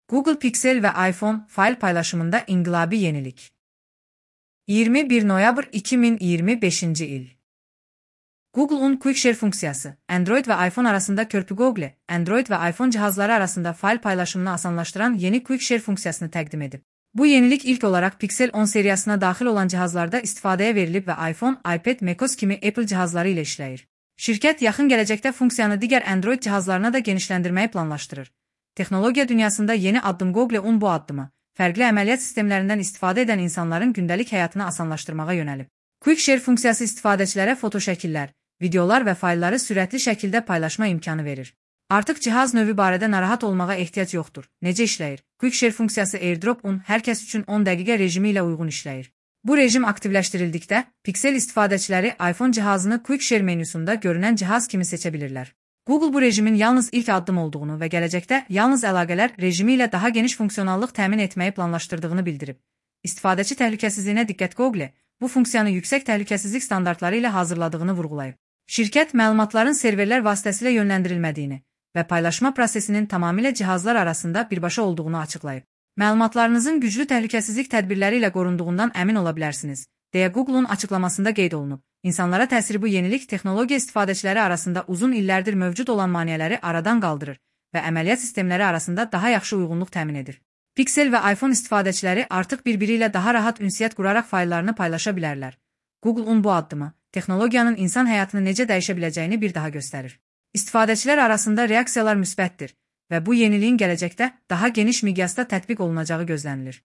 Google Pixel ve iPhone fayl paylaşımında inqilabi yenilik. 21 noyabr 2025 il. Google'un Quick Share funksiyası, Android ve iPhone arasında köprü. Google, Android ve iPhone cihazları arasında fayl paylaşımını asanlaştıran yeni Quick Share funksiyasını təqdim edib. Bu yenilik ilk olarak Pixel 10 seriyasına daxil olan cihazlarda istifadəyə verilib və iPhone, iPad, macOS kimi Apple cihazları ilə işləyir. Şirkət yaxın gələcəkdə funksiyanı digər Android cihazlarına da genişləndirməyi planlaşdırır. Texnologiya dünyasında yeni addım. Google bu addımı, fərqli əməliyyat sistemlərindən istifadə edən insanların gündəlik həyatını asanlaşdırmağa yönəlib. Quick Share funksiyası istifadəçilərə foto şəkillər, videolar və faylları sürətli şəkildə paylaşma imkanı verir. Artıq cihaz növü barədə narahat olmağa ehtiyac yoxdur. Necə işləyir? Quick Share funksiyası AirDrop-un hər kəs üçün 10 dəqiqə rejimi ilə uyğun işləyir. Bu rejim aktivləşdirildikdə, Pixel istifadəçiləri iPhone cihazını Quick Share menüsündə görünən cihaz kimi seçə bilirlər. Google bu rejimin yalnız ilk addım olduğunu və gələcəkdə yalnız əlaqələr rejimi ilə daha geniş funksiyonallıq təmin etməyi planlaşdırdığını bildirib. İstifadəçi təhlükəsizliyinə diqqət. Google bu funksiyanı yüksək təhlükəsizlik standartları ilə hazırladığını vurğulayıb. Şirkət məlumatların serverlər vasitəsilə yönləndirilmədiyini və paylaşma prosesinin tamamilə cihazlar arasında birbaşa olduğunu açıqlayıb. Məlumatlarınızın güclü təhlükəsizlik tədbirləri ilə qorunduğundan əmin ola bilərsiniz, deyə Google'un açıqlamasında qeyd olunub. İnsanlara təsiri. Bu yenilik texnologiya istifadəçiləri arasında uzun illərdir mövcud olan maneələri aradan qaldırır və əməliyyat sistemləri arasında daha yaxşı uyğunluq təmin edir. Pixel və iPhone istifadəçiləri artıq bir-biri ilə daha rahat ünsiyyət quraraq fayllarını paylaşa bilərlər. Google'un bu addımı, texnologiyanın insan həyatını necə dəyişə biləcəyini bir daha göstərir. İstifadəçilər arasında reaksiyalar müsbətdir və bu yeniliyin gələcəkdə daha geniş miqyasda tətbiq olunacağı gözlənilir.